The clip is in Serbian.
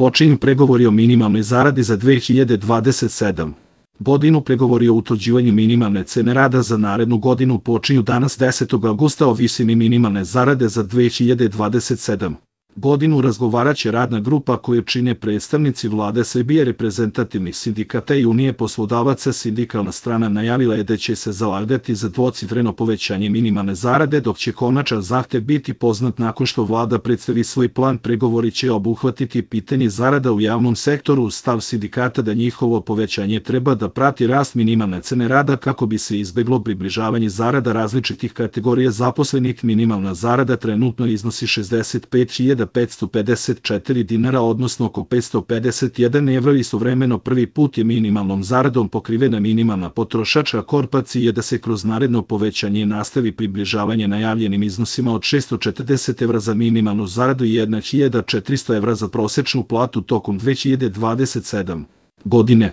Počinju pregovori o minimalnoj zaradi za 2027. godinu. Pregovori o utvrđivanju minimalne cene rada za narednu godinu počinju danas 10. avgusta. O visini minimalne zarade za 2027. godinu razgovaraće radna grupa koju čine predstavnici Vlade Srbije, reprezentativnih sindikata i Unije poslodavaca. Sindikalna strana najavila je da će se zalagati za dvocifreno povećanje minimalne zarade, dok će konačan zahtev biti poznat nakon što Vlada predstavi svoj plan. Pregovori će obuhvatiti pitanje zarada u javnom sektoru. Stav sindikata da njihovo povećanje treba da prati rast minimalne cene rada kako bi se izbeglo približavanje zarada različitih kategorija zaposlenih. Minimalna zarada trenutno iznosi 65.554 dinara, odnosno oko 551 evra. Istovremeno prvi put je minimalnom zaradom pokrivena minimalna potrošačka korpacija je da se kroz naredno povećanje nastavi približavanje najavljenim iznosima od 640 evra za minimalnu zaradu i 1.400 evra za prosečnu platu tokom 2027. godine.